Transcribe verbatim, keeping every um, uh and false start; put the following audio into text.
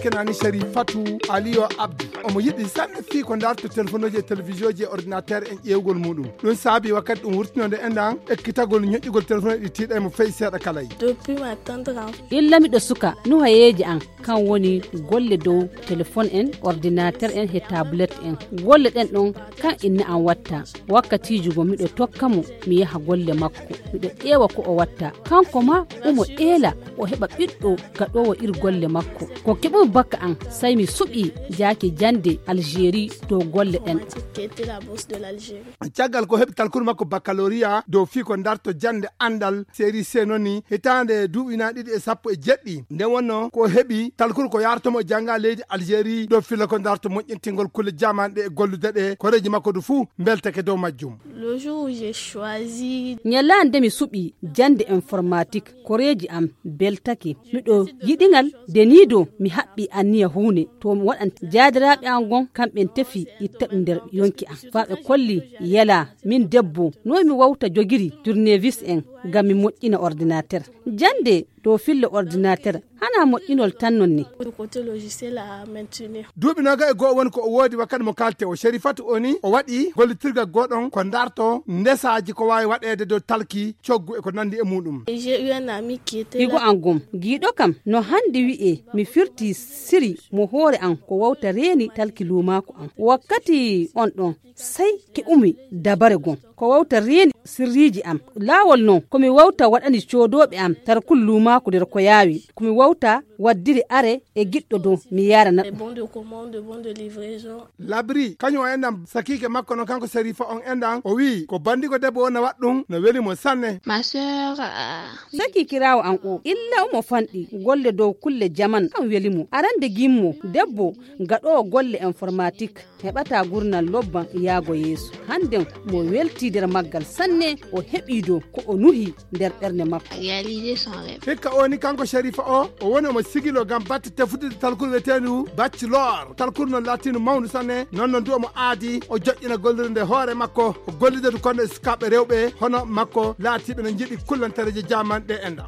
Kenani Sharifatu Aliyo Abdu, omo yiɗi sanne fii ko darto telefonuuji e televisioji e ordinateur en ƴeewgol muɗum. Ɗum saabi wakkati ɗum wurtinode enɗan ekkitagol ñoƴƴugol telefonuuji ɗi tiiɗa e mo feyi seeɗa kala. Depuis ma tendre enfant. Illa miɗo suka, nuhayeeji an kan woni golle dow telefon en, ordinateur en he tablette en. Golle ɗen ɗon kan inna an watta. Wakkatiiji go miɗo tokka mo mi yaha golle makko, miɗo ƴeewa ko o watta. Kanko ma umo eela o heɓa ɓiɗɗo gaɗoowo ir golle makko. Ko keɓumi bakka an, sai mi suɓi jaaki jande Algérie dow golle ɗen. Caggal ko heɓi talkuru makko baccalauréat dow fii ko darto jande andal série C noni hitaande duuɓi na ɗiɗi e sappo e jeɗɗi. Nde wonno ko heɓi talkuru ko yaartomo janga leydi Algérie dow filla ko darto moƴƴintingol kulle jamanɗe e gollude ɗe koreeji makko du fuu mbeltake dow majjum. Le jour où j'ai choisi. Ñalaande mi suɓi jande informatique, koreeji am beltake. Miɗo yiɗingal deniido mi haɓɓi anniya huune to mi waɗan jaadiraaɓe an gon kamɓen tefi itta ɗum nder yonki am. Faa ɓe kolli yela min debbo no mi wawta jogiri tournevis en ngam mi moƴƴina ordinateur. Jande dow filla ordinateur hana moƴƴinol tan non ni. Côté logiciel à maintenir. Duuɓi noga e go'o woni ko o woodi wakkati mo kalte o. Sherifatu o ni o waɗi gollitirgal goɗon ko darto ndesaaji ko waawi waɗeede dow talki, coggu e ko nandi e muɗum. Et j'ai eu un ami qui était higo là. An gom giiɗo kam no handi wi'e mi firti siri mo hoore an ko wawta reeni talki luumaaku an. Wakkati on ɗon sai keɓumi dabare gon ko wawta reeni sirriiji am. Laawol non ko mi wawta waɗani coodooɓe am tarkul luumaaku nder ko yaawi. Ko mi wawta waddiri are e giɗɗo dow mi yarana. Les bons de commande, bons de livraison. Labri kañum o enɗan sakiike makko non kanko Serifa on enɗan o wi'i ko bandigo debbo o na waɗɗum no weli mo sanne. Ma sœur, euh, saki kiraawo an o illa omo fanɗi golle dow kulle jaman kan weli mo. Arande gimmo debbo gaɗoowo golle informatique heɓata gurnal lobban yaago yeeso. Hannden mo welti nder maggal sanne o heɓi dow ko o nuhi nder ɓernde makko. Réaliser son rêve. Hikka o ni kanko Sherifa o o woni omo sigilo ngam batte tefutude talkuru wiyeteendu bachelor. Talkuru non laatiindu mawndu sanne non non du omo aadi o joƴƴina gollirde nde hoore makko o gollida du kono e sukaaɓe rewɓe hono makko laatiiɓe no njiɗi kullantareeje jamanɗe enɗan.